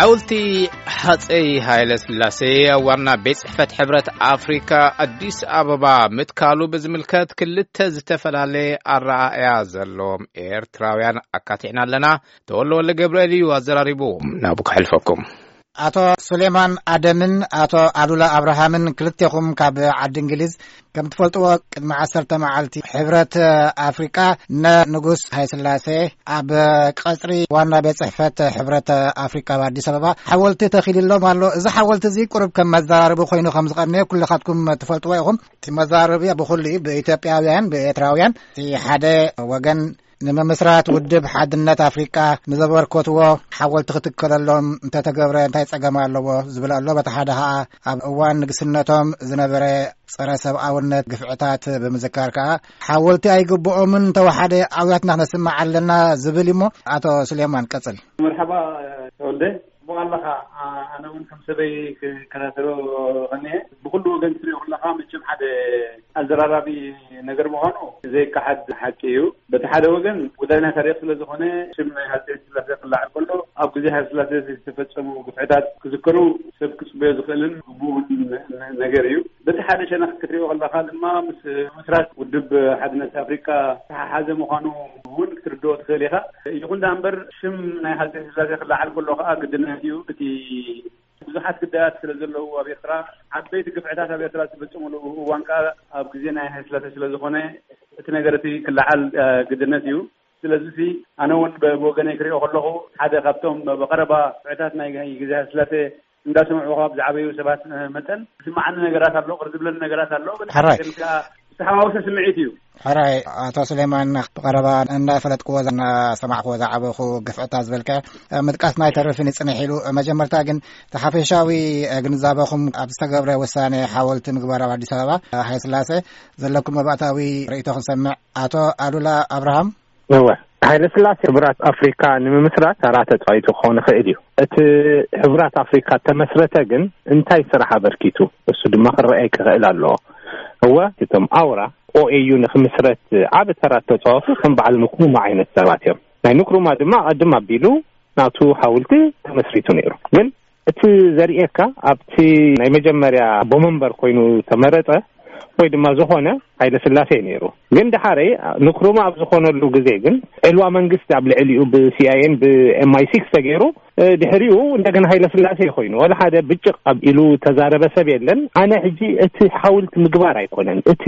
ሓወልቲ ሃፀይ ሃይለ ስላሴ ኣብ ዋና ቤት ጽሕፈት ሕብረት ኣፍሪካ ኣዲስ ኣበባ ምትካሉ ብዝምልከት ክልተ ዝተፈላለየ ኣረኣእያ ዘለዎም ኤርትራውያን ኣካቲዕና ኣለና። ተወልደ ወልደ ገብርኤል እዩ ኣዘራሪቡ። ናብ ክሕልፈኩም። ኣቶ ሱሌማን ኣደምን ኣቶ ኣሉላ ኣብርሃምን ክልቴኹም ካብ ዓዲ እንግሊዝ፣ ከም ትፈልጥዎ ቅድሚ ዓሰርተ መዓልቲ ሕብረት ኣፍሪቃ ንንጉስ ሃይስላሴ ኣብ ቀጽሪ ዋና ቤት ጽሕፈት ሕብረት ኣፍሪቃ ኣብ ኣዲስ ኣበባ ሓወልቲ ተኺልሎም ኣሎ። እዚ ሓወልቲ እዚ ቁሩብ ከም መዘራረቢ ኮይኑ ከም ዝቐነየ ኩልኻትኩም ትፈልጥዎ ኢኹም። እቲ መዘራረቢ ብኹሉ እዩ፣ ብኢትዮጵያውያን፣ ብኤርትራውያን። እቲ ሓደ ወገን ንምምስራት ውድብ ሓድነት ኣፍሪቃ ንዘበርከትዎ ሓወልቲ ክትከለሎም እንተተገብረ እንታይ ጸገም ኣለዎ ዝብል ኣሎ። በቲ ሓደ ኸኣ ኣብ እዋን ንግስነቶም ዝነበረ ጸረ ሰብኣውነት ግፍዕታት ብምዝካር ከኣ ሓወልቲ ኣይግብኦምን፣ እንተወሓደ ኣውያትና ክነስምዕ ኣለና ዝብል እዩሞ። ኣቶ ሱሌማን ቀጽል። መርሓባ ተወልደ። ጽቡቕ ኣለኻ። ኣ-፣ ኣነ እውን ከም ሰበይ ክከታተሎ ቐኒኤ። ብኹሉ ወገን ትሪኦ ከለኻ መቸም ሓደ ኣዘራራቢ ነገር ምዃኑ ዘይከሓድ ሓቂ እዩ። በቲ ሓደ ወገን ጉዳይ ናይ ታሪኽ ስለ ዝኾነ ሽም ናይ ሃፀይ ስላሴ ክለዓል ከሎ ኣብ ግዜ ሃይለ ስላሴ ዝተፈጸሙ ግፍዕታት ክዝከሩ ሰብ ክጽበዮ ዝኽእልን ግቡእን ነገር እዩ። በቲ ሓደ ሸነኽ ክትሪኦ ከለኻ ድማ ምስ ምስራት ውድብ ሓድነት ኣፍሪካ ዝተሓሓዘ ምዃኑ እውን ክትርድኦ ትኽእል ኢኻ። ይኹን ደኣ እምበር ሽም ናይ ሃፀይ ስላሴ ክለዓል ከሎ ከዓ ግድነት እዩ። እቲ ብዙሓት ግዳያት ስለ ዘለዉ ኣብ ኤርትራ፣ ዓበይቲ ግፍዕታት ኣብ ኤርትራ ዝተፈጸሙሉ እዋን ከዓ ኣብ ግዜ ናይ ሃይለ ስላሴ ስለ ዝኾነ እቲ ነገር እቲ ክለዓል፣ እ፣ ግድነት እዩ። ስለዚ እዚ ኣነ እውን ብ-፣ ብወገነይ ክሪኦ ከለኹ ሓደ ካብቶም ብቐረባ ግፍዕታት ናይ ግዜ ሃይለ ስላሴ እንዳሰምዑ ካብ ዝዓበዩ ሰባት፣ እ፣ መጠን ዝስምዓኒ ነገራት ኣሎ፣ ቅር ዝብለኒ ነገራት ኣሎ። ሕራይ። ግን ከዓ ዝተሓዋወሰ ስምዒት እዩ። ሕራይ፣ ኣቶ ሱሌማን፣ ብቐረባ እንዳፈለጥክዎ እናሰማዕክዎ ዝዓበኹ ግፍዕታት ዝበልካዮ፣ እ፣ ምጥቃስና ኣይተርፍን ይጽንሕ ኢሉ። መጀመርታ ግን እቲ ሓፈሻዊ፣ እ፣ ግንዛበኹም ኣብ ዝተገብረ ውሳኔ ሓወልቲ ምግባር ኣብ ኣዲስ ኣበባ፣ እ፣ ሃይለ ስላሴ ዘለኩም መባእታዊ ርእይቶ ክንሰምዕ። ኣቶ ኣሉላ ኣብርሃም። እወ፣ ሃይለ ስላሴ ሕቡራት ኣፍሪካ ንምምስራት ተራ ተፃዊቱ ክኸውን ይኽእል እዩ። እቲ ሕቡራት ኣፍሪካ ተመስረተ ግን እንታይ ስራሕ ኣበርኪቱ? እሱ ድማ ክረኣይ ክኽእል ኣለዎ። እወ፣ እቶም ኣውራ ኦኤዩ ንክምስረት ዓቢ ተራ ተፃወቱ ከም በዓል ንክሩማ ዓይነት ሰባት እዮም። ናይ ንክሩማ ድማ ቀድም ኣቢሉ ናቱ ሓውልቲ ተመስሪቱ ነይሩ። ግን እቲ ዘርእየካ ኣብቲ ናይ መጀመርያ ኣቦ መንበር ኮይኑ ተመረጸ ወይ ድማ ዝኾነ ሃይለ ስላሴ ነይሩ። ግን ደሓረይ ንክሩማ ኣብ ዝኾነሉ ግዜ ግን ዕልዋ መንግስቲ ኣብ ልዕሊኡ ብ ሲኣይኤን ብ ኤም ኣይ ሲክስ ተገይሩ፣ እ፣ ድሕሪኡ እንደገና ሃይለ ስላሴ ኮይኑ ወላ ሓደ ብጭቕ ኣብ ኢሉ ተዛረበ ሰብ የለን። ኣነ ሕጂ እቲ ሓውልቲ ምግባር ኣይኮነን፣ እቲ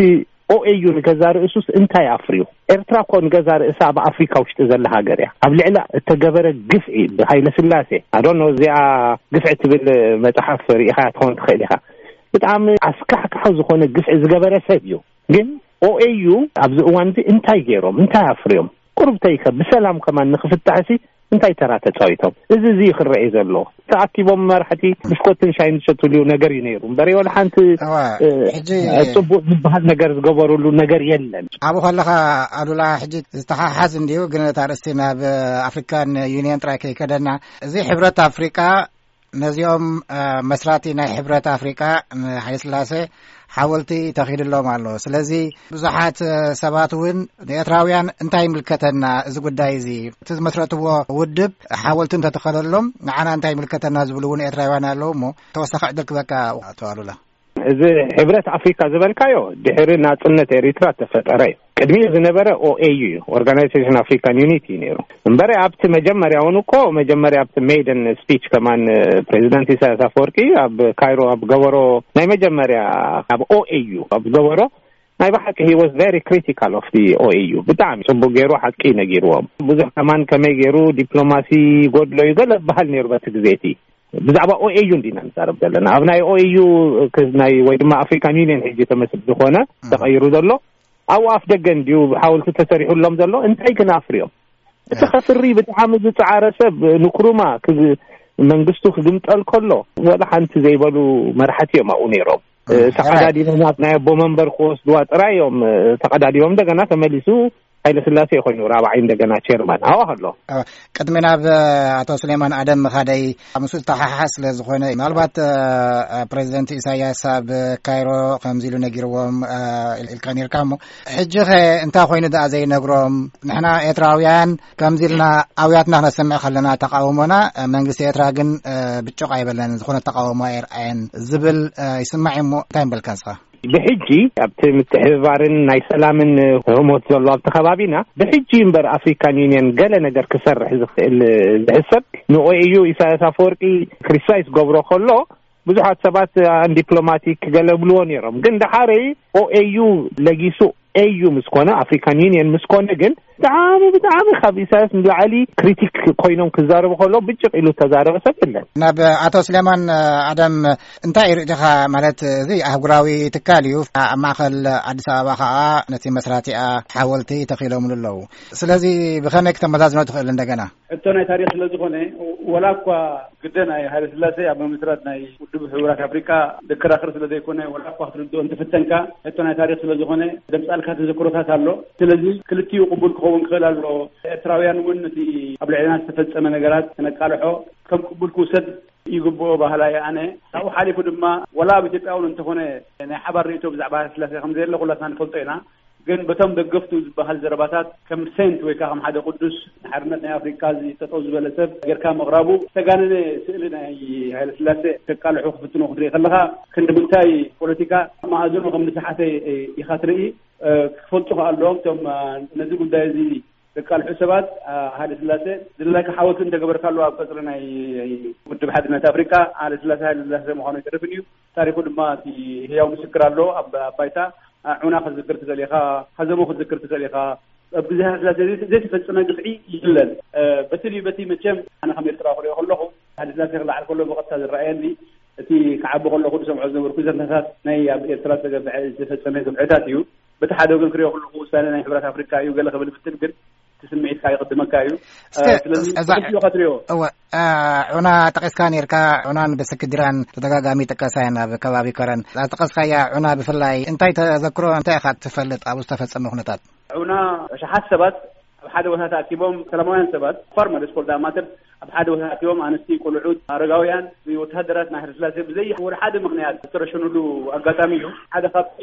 ኦኤዩ ንገዛ ርእሱስ እንታይ ኣፍርዩ? ኤርትራ እኮ ንገዛ ርእሳ ኣብ ኣፍሪካ ውሽጢ ዘላ ሃገር እያ። ኣብ ልዕላ እተገበረ ግፍዒ ብሃይለ ስላሴ፣ ኣዶኖ፣ እዚኣ ግፍዒ ትብል መጽሓፍ ርኢኻያ ትኸውን ትኽእል ኢኻ። ብጣዕሚ ኣስካሕካሒ ዝኾነ ግፍዒ ዝገበረ ሰብ እዩ። ግን ኦኤዩ ኣብዚ እዋን እዚ እንታይ ገይሮም? እንታይ ኣፍርዮም? ቁሩብ ተይከ ብሰላም ከማን ንኽፍታሕሲ እንታይ ተራ ተጻዊቶም? እዚ፣ እዚ እዩ ክረኤ ዘሎ። ተኣኪቦም መራሕቲ ብሽኮትን ሻይን ዝሸትሉ ነገር እዩ ነይሩ። እምበር ወላ ሓንቲ፣ እዋ፣ እ፣ ሕጂ ጽቡቕ ዝበሃል ነገር ዝገበሩሉ ነገር የለን። ኣብኡ ከለኻ ኣሉላ፣ ሕጂ ዝተሓሓዝ እንድዩ፣ ግን እታ ኣርእስቲ ናብ ኣፍሪካን ዩኒየን ጥራይ ከይከደና፣ እዚ ሕብረት ኣፍሪቃ ነዚኦም፣ እ፣ መስራቲ ናይ ሕብረት ኣፍሪቃ ንሃይለስላሴ ሓወልቲ ተኺልሎም ኣሎ። ስለዚ ብዙሓት፣ እ፣ ሰባት እውን ንኤርትራውያን እንታይ ይምልከተና እዚ ጉዳይ እዚ? እቲ ዝመስረትዎ ውድብ ሓወልቲ እንተተኸለሎም ንዓና እንታይ ይምልከተና ዝብሉ እውን ኤርትራውያን ኣለዉ። እሞ ተወሳኺ ዕድል ክበካ ኣቶ ኣሉላ። እዚ ሕብረት ኣፍሪካ ዝበልካዮ ድሕሪ ናጽነት ኤሪትራ ተፈጠረ እዩ። ቅድሚኡ ዝነበረ ኦኤዩ እዩ፣ ኦርጋናይዜሽን ኣፍሪካን ዩኒቲ እዩ ነይሩ። እምበረ ኣብቲ መጀመርያ እውን እኮ፣ መጀመርያ ኣብቲ ሜይደን ስፒች ከማን ፕሬዚዳንት ኢሳያስ ኣፈወርቂ ኣብ ካይሮ ኣብ ገበሮ ናይ መጀመርያ ኣብ ኦኤዩ ኣብ ገበሮ ናይ ብሓቂ he was very critical of the ኦኤዩ። ብጣዕሚ ጽቡቅ ገይሩ ሓቂ ነጊርዎም። ብዙሕ ከማን ከመይ ገይሩ ዲፕሎማሲ ጎድሎ እዩ ገለ በሃል ነይሩ በቲ ግዜ እቲ። ብዛዕባ ኦኤዩ እንዲና ንዛረብ ዘለና። ኣብ ናይ ኦኤዩ ክ-፣ ናይ ወይ ድማ ኣፍሪካን ዩኒየን ሕጂ ተመስሪቱ ዝኾነ ተቐይሩ ዘሎ፣ ኣብኡ ኣፍ ደገ እንድዩ ሓወልቲ ተሰሪሑሎም ዘሎ። እንታይ ግን ኣፍርዮም? እቲ ከፍሪ ብጣዕሚ ዝጸዓረ ሰብ ንክሩማ ክዝ-፣ መንግስቱ ክግምጠል ከሎ ወላ ሓንቲ ዘይበሉ መራሕቲ እዮም ኣብኡ ነይሮም። እ፣ ተቐዳዲሞም ኣብ ናይ ኣቦ መንበር ክወስድዋ ጥራይ እዮም፣ እ፣ ተቐዳዲሞም። እንደገና ተመሊሱ ሃይለ ስላሴ ኮይኑ ራብዓይ እንደገና ቸርማን ኣዋ ኣሎ። ቅድሚ ናብ ኣቶ ስሌማን ኣደም ምኻደይ፣ ምስኡ ዝተሓሓዝ ስለ ዝኾነ፣ ምናልባት ፕሬዚደንት ኢሳያስ ኣብ ካይሮ ከምዚ ኢሉ ነጊርዎም ኢልካ ነርካ እሞ፣ ሕጂ ኸ እንታይ ኮይኑ ደኣ ዘይነግሮም? ንሕና ኤርትራውያን ከምዚ ኢልና ኣውያትና ክነሰምዕ ከለና ተቃውሞና፣ መንግስቲ ኤርትራ ግን ብጭቕ ኣይበለን፣ ዝኾነ ተቃውሞ ኣይርኣየን ዝብል ይስማዕ እሞ፣ እንታይ ምበልካ ንስኻ? ብሕጂ ኣብቲ ምትሕብባርን ናይ ሰላምን ህሞት ዘሎ ኣብቲ ከባቢና፣ ብሕጂ እምበር ኣፍሪካን ዩኒየን ገለ ነገር ክሰርሕ ዝኽእል ዝሕሰብ ንኦኤዩ ኢሳያስ ኣፈወርቂ ክሪቲሳይዝ ገብሮ ከሎ፣ ብዙሓት ሰባት ኣን ዲፕሎማቲክ ገለ ብልዎ ነይሮም። ግን ደሓረይ ኦኤዩ ለጊሱ ኤዩ ምስ ኮነ፣ ኣፍሪካን ዩኒየን ምስ ኮነ ግን ብጣዕሚ ብጣዕሚ ካብ ኢሳያስ ንላዕሊ ክሪቲክ ኮይኖም ክዛረቡ ከሎ ብጭቕ ኢሉ ተዛረበ ሰብ የለን። ናብ ኣቶ ስሌማን ኣደም እንታይ ርእይቶኻ? ማለት እዚ ኣህጉራዊ ትካል እዩ። ኣብ ማእኸል ኣዲስ ኣበባ ከዓ ነቲ መስራቲኣ ሓወልቲ ተኺሎምሉ ኣለዉ። ስለዚ ብኸመይ ክተመዛዝኖ ትኽእል? እንደገና ሕቶ ናይ ታሪኽ ስለ ዝኾነ፣ ወላ እኳ ግደ ናይ ሃይለ ስላሴ ኣብ ምምስራት ናይ ውድብ ሕቡራት ኣፍሪካ ዘከራኽር ስለ ዘይኮነ፣ ወላ እኳ ክትርድኦ እንትፍተንካ፣ ሕቶ ናይ ታሪኽ ስለ ዝኾነ፣ ደምጻልካ ተዘክሮታት ኣሎ። ስለዚ ክልቲኡ ቅቡል ክኸውን ክኽእል ኣሎ። ኤርትራውያን እውን ነቲ ኣብ ልዕልና ዝተፈጸመ ነገራት ክነቃልሖ ከም ቅቡል ክውሰድ ይግብኦ ባህላ እየ ኣነ። ካብኡ ሓሊፉ ድማ፣ ወላ ኣብ ኢትዮጵያ እውን እንተኾነ፣ ናይ ሓባር ርእይቶ ብዛዕባ ሃይለ ስላሴ ከም ዘየለ ኩላትና ንፈልጦ ኢና። ግን በቶም ደገፍቱ ዝበሃል ዘረባታት ከም ሴንት ወይ ከዓ ከም ሓደ ቅዱስ ንሓርነት ናይ ኣፍሪካ እዚ ጠጠው ዝበለ ሰብ ጌርካ ምቕራቡ ዝተጋነነ ስእሊ ናይ ሃይለ ስላሴ ከቃልሑ ክፍትኑ ክትርኢ ከለኻ ክንዲ ምንታይ ፖለቲካ መኣዝኑ ከም ዝሰሓተ ኢኻ ትርኢ። ክፈልጡ ከኣ ኣለዎም እቶም ነዚ ጉዳይ እዚ ዘቃልሑ ሰባት። ሃይለ ስላሴ ዝደለካ ሓወልቲ እንተገበርካሉ ኣብ ቀጽሪ ናይ ውድብ ሓድነት ኣፍሪካ ሃይለ ስላሴ ሃይለ ስላሴ ምዃኑ ኣይተርፍን እዩ። ታሪኹ ድማ እቲ ህያው ምስክር ኣሎ ኣብ ባይታ። ዑና ክትዝክር ትኽእል ኢኻ፣ ሀዘሞ ክትዝክር ትኽእል ኢኻ። ኣብ ግዜ ሃይለስላሴ ዘይተፈጸመ ግፍዒ የለን። በቲ ድዩ በቲ መቸም ኣነ ከም ኤርትራዊ ክሪኦ ከለኹ፣ ሃይለስላሴ ክለዓል ከሎ ብቐጥታ ዝረኣየኒ፣ እቲ ክዓቢ ከለኹ ዝሰምዖ ዝነበርኩ ዘንታታት ናይ ኣብ ኤርትራ ዝተገብዐ ዝተፈጸመ ግፍዕታት እዩ። በቲ ሓደ ወገን ክሪኦ ከለኹ ውሳነ ናይ ሕብረት ኣፍሪካ እዩ ገለ ክብል ብትል ግን እቲ ስምዒትካ ይቕድመካ እዩ። እስከ ስለዚ እዛ ብኽልቲኡ ኢኻ ትሪኦ። እወ፣ ዑና ጠቒስካ ነርካ። ዑናን ብስክድራን ተደጋጋሚ ይጥቀሳ እየን ኣብ ከባቢ ከረን። እዛ ዝጠቐስካያ ዑና ብፍላይ እንታይ ተዘክሮ እንታይ ኢኻ ትፈልጥ ኣብኡ ዝተፈጸመ ኩነታት? ዑና ኣሽሓት ሰባት ኣብ ሓደ ቦታ ተኣኪቦም፣ ሰላማውያን ሰባት ፋርመርስ ኮልድ ማተር ኣብ ሓደ ቦታ ተኣኪቦም፣ ኣንስቲ፣ ቆልዑት፣ ኣረጋውያን፣ ወተሃደራት ናይ ሃይለስላሴ ብዘይ ወደ ሓደ ምኽንያት ዝተረሸኑሉ ኣጋጣሚ እዩ። ሓደ ካብቲ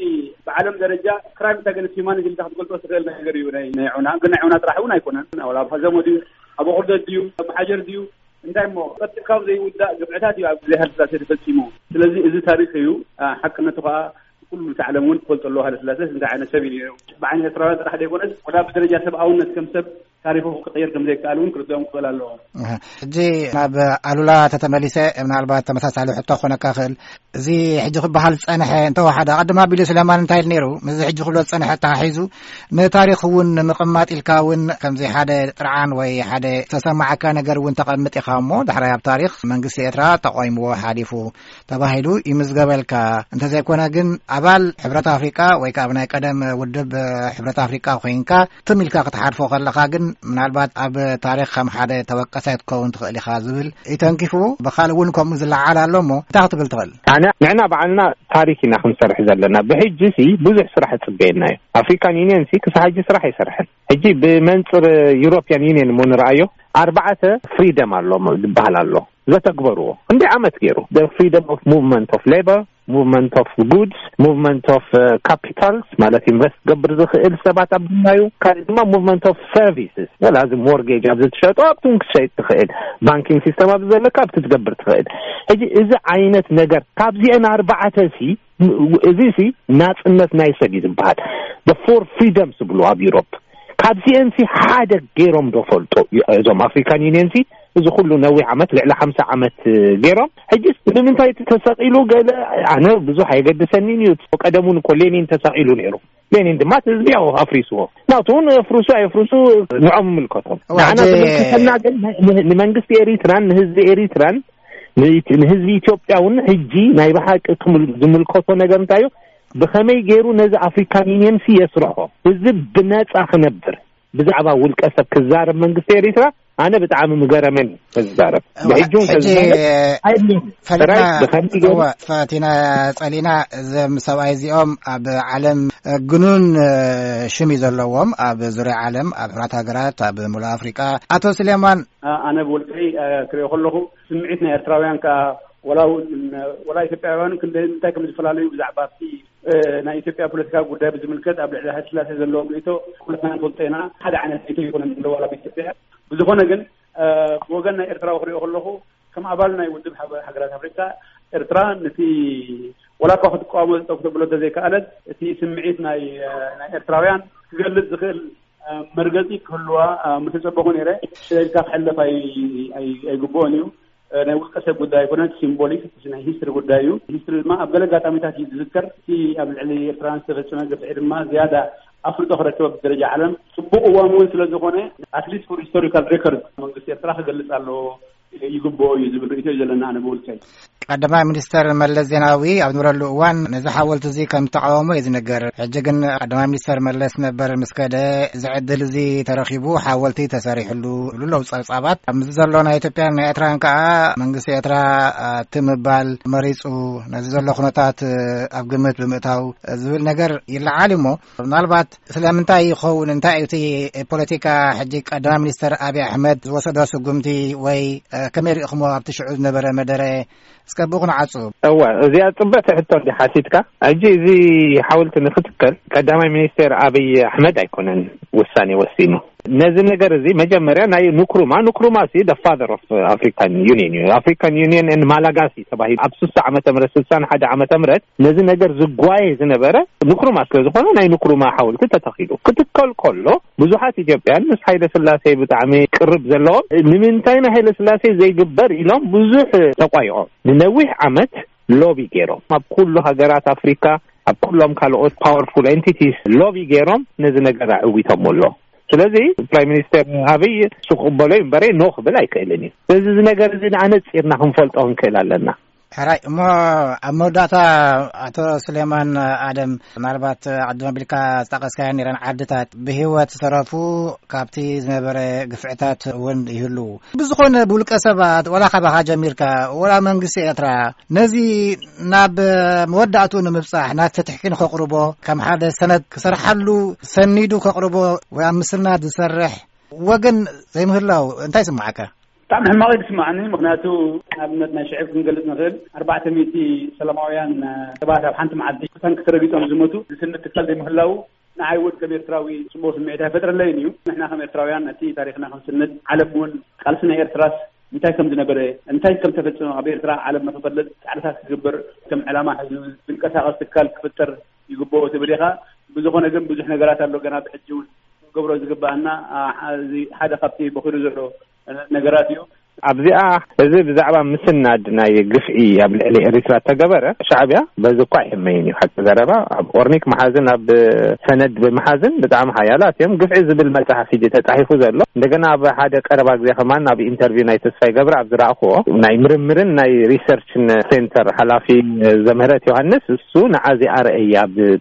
ብዓለም ደረጃ ክራይም ኣጋንስት ሂውማኒቲ ኢልካ ክትገልጾ ትኽእል ነገር እዩ ናይ ናይ ዑና። ግን ናይ ዑና ጥራሕ እውን ኣይኮነን። ኣብ ሀዘሞ ድዩ፣ ኣብ ቁርደት ድዩ፣ ኣብ ሓጀር ድዩ፣ እንታይ እሞ ቀልጢፍካ ዘይውዳእ ግፍዕታት እዩ ኣብ ግዜ ሃይለስላሴ ተፈጺሙ። ስለዚ እዚ ታሪኽ እዩ። ሓቅነቱ ከዓ ኩሉ እቲ ዓለም እውን ክፈልጦ ኣለዎ። ሃይለስላሴ እንታይ ዓይነት ሰብ እዩ ነይሩ? ብዓይኒ ኤርትራውያን ጥራሕ ዘይኮነስ ወላ ብደረጃ ሰብኣውነት ከም ሰብ ታሪኹ ክቕየር ከም ዘይከኣል እውን ክርድኦም ክኽእል ኣለዎ። ሕጂ ናብ ኣሉላ ተተመሊሰ፣ ምናልባት ተመሳሳሊ ሕቶ ክኾነካ ክእል። እዚ ሕጂ ክበሃል ዝጸንሐ እንተወሓደ፣ ኣቐድም ኣቢሉ ስለማን እንታይ ኢሉ ነይሩ? ምስዚ ሕጂ ክብሎ ዝጸንሐ ተሓሒዙ ንታሪኽ እውን ንምቕማጥ ኢልካ እውን ከምዚ ሓደ ጥርዓን ወይ ሓደ ዝተሰማዓካ ነገር እውን ተቐምጥ ኢኻ እሞ፣ ዳሕራይ ኣብ ታሪኽ መንግስቲ ኤርትራ ተቋይምዎ ሓሊፉ ተባሂሉ ይምዝገበልካ። እንተዘይኮነ ግን ኣባል ሕብረት ኣፍሪቃ ወይ ከዓ ኣብ ናይ ቀደም ውድብ ሕብረት ኣፍሪቃ ኮይንካ ትም ኢልካ ክትሓልፎ ከለኻ ግን ምናልባት ኣብ ታሪኽ ከም ሓደ ተወቀሳይ ክትከውን ትኽእል ኢኻ ዝብል እዩ ተንኪፉ። ብኻልእ እውን ከምኡ ዝለዓል ኣሎ እሞ እንታይ ክትብል ትኽእል? ኣነ ንዕና ባዕልና ታሪክ ኢና ክንሰርሕ ዘለና። ብሕጂ ሲ ብዙሕ ስራሕ ይጽበየና እዩ። ኣፍሪካን ዩኒየን ሲ ክሳብ ሕጂ ስራሕ ኣይሰርሐን። ሕጂ ብመንጽር ዩሮፒያን ዩኒየን እሞ ንረኣዮ፣ ኣርባዕተ ፍሪደም ኣሎ ዝበሃል ኣሎ ዘተግበርዎ። ክንደይ ዓመት ገይሩ? The freedom of movement of labor, movement of goods, movement of capitals፣ ማለት ኢንቨስት ገብር ዝኽእል ሰባት ኣብ ድናዩ። ካልእ ድማ movement of services፣ ወላ እዚ ሞርጌጅ ኣብዚ ትሸጦ ኣብቲ እውን ክትሸይጥ ትኽእል። ባንኪንግ ሲስተም ኣብዚ ዘለካ ኣብቲ ትገብር ትኽእል። ሕጂ እዚ ዓይነት ነገር ካብዚአን ኣርባዕተ ሲ እዚ ሲ ናጽነት ናይ ሰብ እዩ ዝበሃል። The four freedoms ዝብሉ ኣብ ዩሮፕ፣ ካብዚአን ሲ ሓደ ገይሮም ዶ ፈልጦ? እዞም ኣፍሪካን ዩኒየን ሲ እዚ ኩሉ ነዊሕ ዓመት፣ ልዕሊ ሓምሳ ዓመት ገይሮም፣ ሕጂስ ንምንታይ እቲ ተሰቒሉ? ገለ ኣነ ብዙሕ ኣይገድሰኒን እዩ። ቀደም እውን እኮ ሌኒን ተሰቒሉ ነይሩ። ሌኒን ድማ እቲ ህዝቢ ያው ኣፍሪስዎ። ናቱ እውን የፍርሱ ኣየፍርሱ ንዖም ይምልከቶም። እዋ፣ ንዓና ሕጂ ዝምልከተና ግን ን-፣ ንመንግስቲ ኤሪትራን ንህዝቢ ኤሪትራን ንኢት-፣ ንህዝቢ ኢትዮጵያ እውን ሕጂ ናይ ብሓቂ ክምል-፣ ዝምልከቶ ነገር እንታይ እዩ? ብኸመይ ገይሩ ነዚ ኣፍሪካን ዩኒየን ሲ የስርሖ? ህዝቢ ብነጻ ክነብር፣ ብዛዕባ ውልቀ ሰብ ክዛረብ መንግስቲ ኤሪትራ ኣነ ብጣዕሚ ምገረመን ክዛረብ። እዋ፣ ብሕጂ እውን ሕጂ ከዝዛረብ ኣይብልን። ፈለና ጥራይ ብኸመይ ገይሩ እዋ፣ ፈቲና ጸሊና፣ እዞም ሰብኣይ እዚኦም ኣብ ዓለም ግኑን ሽም እዩ ዘለዎም፣ ኣብ ዙርያ ዓለም፣ ኣብ ሕራት ሃገራት፣ ኣብ ሙሉእ ኣፍሪቃ። ኣቶ ስሌማን። ኣ-፣ ኣነ ብውልቀይ፣ ኣ፣ ክሪኦ ከለኹ፣ ስምዒት ናይ ኤርትራውያን ከኣ፣ ወላ እውን፣ ወላ ኢትዮጵያውያን ክንደ-፣ እንታይ ከም ዝፈላለዩ ብዛዕባ ኣብቲ፣ እ፣ ናይ ኢትዮጵያ ፖለቲካዊ ጉዳይ ብዝምልከት ኣብ ልዕሊ ሃይለ ስላሴ ዘለዎም ርእይቶ ኩላትና ንፈልጦ ኢና። ሓደ ዓይነት ርእይቶ ይኮነን ዘለዎ ኣብ ኢትዮጵያ። ብዝኾነ ግን፣ እ፣ ብወገን ናይ ኤርትራዊ ክሪኦ ከለኹ፣ ከም ኣባል ናይ ውድብ ሃገ-፣ ሃገራት ኣፍሪካ፣ ኤርትራ ነቲ ወላ እኳ ክትቃወሞ ጠቕ ተብሎ እንተዘይከኣለት፣ እቲ ስምዒት ናይ፣ እ፣ ናይ ኤርትራውያን ክገልጽ ዝኽእል፣ እ፣ መርገጺ ክህልዋ፣ እ፣ ምተጸበኹ ነይረ። ስለዚ ካብ ክሕለፍ ኣይ-፣ ኣይ-፣ ኣይግብኦን እዩ። እ፣ ናይ ውልቀ ሰብ ጉዳይ ኣይኮነን፣ ሲምቦሊክ፣ ናይ ሂስትሪ ጉዳይ እዩ። ሂስትሪ ድማ ኣብ ገለ ኣጋጣሚታት እዩ ዝዝከር። እቲ ኣብ ልዕሊ ኤርትራውያን ዝተፈጸመ ግፍዒ ድማ ዝያዳ ኣፍልጦ ክረክብ ኣብ ደረጃ ዓለም ጽቡቕ እዋን እውን ስለ ዝኾነ፣ ኣትሊስት ፎር ሂስቶሪካል ሬኮርድ መንግስቲ ኤርትራ ክገልጽ ኣለዎ፣ ይግብኦ እዩ ዝብል ርእይቶ እዩ ዘለና ኣነ ብውልቀይ። ቀዳማይ ሚኒስተር መለስ ዜናዊ ኣብ ዝነበረሉ እዋን ነዚ ሓወልቲ እዚ ከም ዝተቃወሞ እዩ ዝነገር። ሕጂ ግን ቀዳማይ ሚኒስተር መለስ ነበር ምስ ከደ፣ እዚ ዕድል እዚ ተረኺቡ ሓወልቲ ተሰሪሕሉ ይብሉ ኣለዉ ጸብጻባት። ኣብዚ ዘሎ ናይ ኢትዮጵያን ናይ ኤርትራን ከኣ መንግስቲ ኤርትራ፣ እ፣ እቲ ምባል መሪጹ ነዚ ዘሎ ኩነታት፣ እ፣ ኣብ ግምት ብምእታው ዝብል ነገር ይለዓል እሞ፣ ምናልባት ስለምንታይ ይኸውን? እንታይ እዩ እቲ ፖለቲካ? ሕጂ ቀዳማይ ሚኒስተር ኣብይ ኣሕመድ ዝወሰዶ ስጉምቲ ወይ፣ እ፣ ከመይ ርኢኹሞ ኣብቲ ሽዑ ዝነበረ መደረ? እስከ ብኡ ክንዓጹ። እወ፣ እዚኣ ጽብቕቲ ሕቶ እንዲ ሓቲትካ። ሕጂ እዚ ሓወልቲ ንክትከል ቀዳማይ ሚኒስቴር ኣብይ ኣሕመድ ኣይኮነን ውሳኔ ወሲኑ። ነዚ ነገር እዚ መጀመርያ ናይ ንክሩማ፣ ንክሩማ ሲ the father of African Union እዩ። ኣፍሪካን ዩኒየን and ማላጋሲ ተባሂሉ ኣብ ስሳ ዓመተ ምህረት፣ ስሳን ሓደ ዓመተ ምህረት ነዚ ነገር ዝጓየ ዝነበረ ንክሩማ ስለ ዝኾነ ናይ ንክሩማ ሓወልቲ ተተኺሉ። ክትከል ከሎ ብዙሓት ኢትዮጵያን ምስ ሃይለ ስላሴ ብጣዕሚ ቅርብ ዘለዎም ንምንታይ ንሃይለ ስላሴ ዘይግበር ኢሎም ብዙሕ ተቋይቖም። ንነዊሕ ዓመት ሎቢ ገይሮም ኣብ ኩሉ ሃገራት ኣፍሪካ፣ ኣብ ኩሎም ካልኦት ፓወርፉል ኤንቲቲስ ሎቢ ገይሮም ነዚ ነገር ኣዕዊቶም ኣሎ። ስለዚ ፕራይም ሚኒስተር ኣብይ እሱ ክቕበሎ እዩ እምበረ ኖ ክብል ኣይክእልን እዩ። ስለዚ እዚ ነገር እዚ ንኣነፂርና ክንፈልጦ ክንክእል ኣለና። ሕራይ እሞ፣ ኣብ መወዳእታ ኣቶ ስሌማን ኣደም፣ ምናልባት ዓዲ መቢልካ ዝጠቐስካዮ ነይረን ዓድታት ብህይወት ዝተረፉ ካብቲ ዝነበረ ግፍዕታት እውን ይህልዉ። ብዝኾነ ብውልቀ ሰባት፣ ወላ ካባኻ ጀሚርካ፣ ወላ መንግስቲ ኤርትራ፣ ነዚ ናብ መወዳእትኡ ንምብጻሕ፣ ናብ ፍትሒ ንኸቕርቦ፣ ከም ሓደ ሰነድ ክሰርሓሉ፣ ሰኒዱ ከቕርቦ፣ ወይ ኣብ ምስናድ ዝሰርሕ ወገን ዘይምህላው እንታይ ይስምዓካ? ብጣዕሚ ሕማቕ እዩ ዝስምዓኒ። ምኽንያቱ፣ ንኣብነት ናይ ሽዕብ ክንገልጽ ንኽእል፣ ኣርባዕተ ሚእቲ ሰላማውያን ሰባት ኣብ ሓንቲ መዓልቲ ብታንኪ ተረጊጾም ዝሞቱ፣ ዝስንድ ትካል ዘይምህላው፣ ንዓይ እውን ከም ኤርትራዊ ጽቡቕ ስምዒት ኣይፈጥረለይን እዩ። ንሕና ከም ኤርትራውያን ነቲ ታሪኽና ክንስንድ፣ ዓለም እውን ቃልሲ ናይ ኤርትራስ እንታይ ከም ዝነበረ፣ እንታይ ከም ተፈጸመ ኣብ ኤርትራ ዓለም ንኽፈልጥ ጻዕርታት ክግበር፣ ከም ዕላማ ሒዙ ዝንቀሳቐስ ትካል ክፍጠር ይግብኦ ትብል ኢኻ። ብዝኾነ ግን ብዙሕ ነገራት ኣሎ ገና ብሕጂ እውን ክገብሮ ዝግብኣና፣ ኣ፣ እዚ ሓደ ካብቲ በኺሩ ዘሎ ነገራት እዩ። ኣብዚኣ እዚ ብዛዕባ ምስናድ ናይ ግፍዒ ኣብ ልዕሊ ኤሪትራ ተገበረ፣ ሻዕብያ በዚ እኳ ኣይሕመይን እዩ። ሓቂ ዘረባ ኣብ ኦርኒክ መሓዝን ኣብ ሰነድ ብምሓዝን ብጣዕሚ ሓያላት እዮም። ግፍዒ ዝብል መጽሓፍ ሕጂ ተጻሒፉ ዘሎ እንደገና ኣብ ሓደ ቀረባ ግዜ ከማን ኣብ ኢንተርቪው ናይ ተስፋይ ገብረ ኣብ ዝረኣኽዎ ናይ ምርምርን ናይ ሪሰርችን ሴንተር ሓላፊ ዘምህረት ዮሃንስ እሱ ንዓዚ ኣርእያ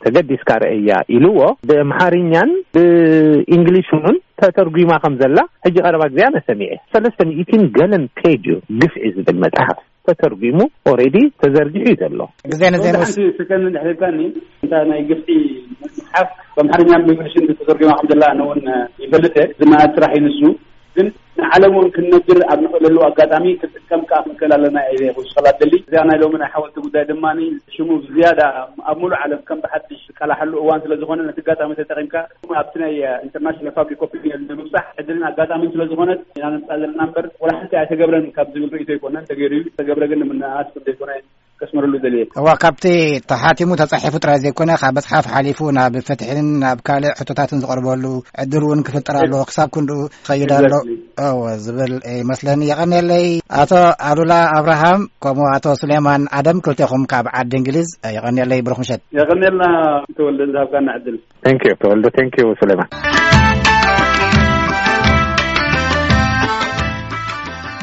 ተገዲስካ ርእያ ኢልዎ ብኣምሓርኛን ብእንግሊሽ እውን ተተርጒማ ከም ዘላ ሕጂ ቀረባ ግዜ ኣነ ሰሚዐ። ሰለስተ ሚእትን ገለን ፔጅ እዩ ግፍዒ ዝብል መጽሓፍ ተተርጒሙ ኦሬዲ ተዘርጊሑ እዩ ዘሎ። ግዜ ንዘይ ወደ ሓንቲ ሰከንድ እንድሕር ኢልካኒ፣ እንታ ናይ ግፍዒ መጽሓፍ ብኣምሓርኛን ብእንግሊሽን ተተርጒማ ከም ዘላ ኣነ እውን ይፈልጥ እየ። ዝነኣድ ስራሕ እዩ ንሱ። ግን ንዓለም እውን ክንነግር ኣብ ንኽእለሉ ኣጋጣሚ ክንጥቀም ከኣ ክንክእል ኣለና እየ ክውስኸላ ደሊ። እዚኣ ናይ ሎሚ ናይ ሓወልቲ ጉዳይ ድማ ሽሙ ብዝያዳ ኣብ ሙሉእ ዓለም ከም ብሓድሽ ዝቃላሓሉ እዋን ስለ ዝኾነ ነቲ ኣጋጣሚ ተጠቒምካ ኣብቲ ናይ ኢንተርናሽናል ፓብሊክ ኦፒኒየን ንምብጻሕ ዕድልን ኣጋጣሚን ስለ ዝኾነት ኢና ነምጻእ ዘለና እምበር ወላ ሓንቲ ኣይተገብረን ካብ ዝብል ርእይቶ ኣይኮነን። ተገይሩ እዩ። ተገብረ ግን ንምንኣስ ከም ዘይኮነ ከስምረሉ ደልየ። እዋ፣ ካብቲ ተሓቲሙ ተጻሒፉ ጥራይ ዘይኮነ ካብ መጽሓፍ ሓሊፉ ናብ ፍትሕን ናብ ካልእ ሕቶታትን ዝቐርበሉ ዕድል እውን ክፍጠር ኣለዎ። ክሳብ ክንድኡ ክኸይድ ኣሎ። Exactly. እወ፣ ዝብል ይመስለኒ። የቐንየለይ ኣቶ ኣሉላ ኣብርሃም ከምኡ ኣቶ ሱሌማን ኣደም ክልቴኹም ካብ ዓዲ እንግሊዝ። የቐንየለይ፣ ብሩኽ ምሸት። የቐንየልና ተወልደ ዝሃብካና ዕድል። Thank you ተወልደ። Thank you ሱሌማን።